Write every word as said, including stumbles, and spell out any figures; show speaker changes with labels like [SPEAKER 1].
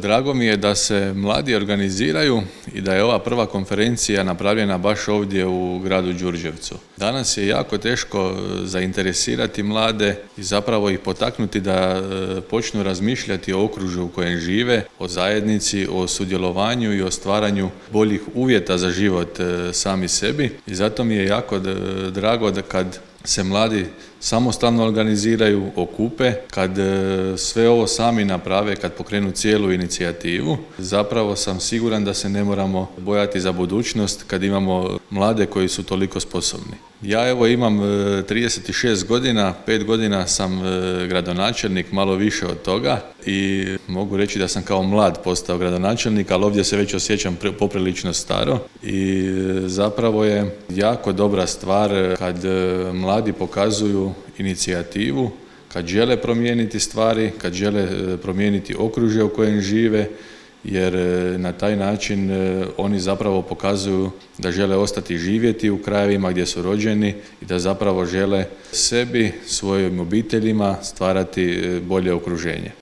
[SPEAKER 1] Drago mi je da se mladi organiziraju i da je ova prva konferencija napravljena baš ovdje u gradu Đurđevcu. Danas je jako teško zainteresirati mlade i zapravo ih potaknuti da počnu razmišljati o okružju u kojem žive, o zajednici, o sudjelovanju i o stvaranju boljih uvjeta za život sami sebi. I zato mi je jako drago da kad se mladi samostalno organiziraju, okupe, kad sve ovo sami naprave, kad pokrenu cijelu inicijativu, zapravo sam siguran da se ne moramo bojati za budućnost kad imamo mlade koji su toliko sposobni. Ja evo imam trideset šest godina, pet godina sam gradonačelnik, malo više od toga i mogu reći da sam kao mlad postao gradonačelnik, ali ovdje se već osjećam poprilično staro i zapravo je jako dobra stvar kad mladi pokazuju inicijativu, kad žele promijeniti stvari, kad žele promijeniti okružje u kojem žive, jer na taj način oni zapravo pokazuju da žele ostati živjeti u krajevima gdje su rođeni i da zapravo žele sebi, svojim obiteljima stvarati bolje okruženje.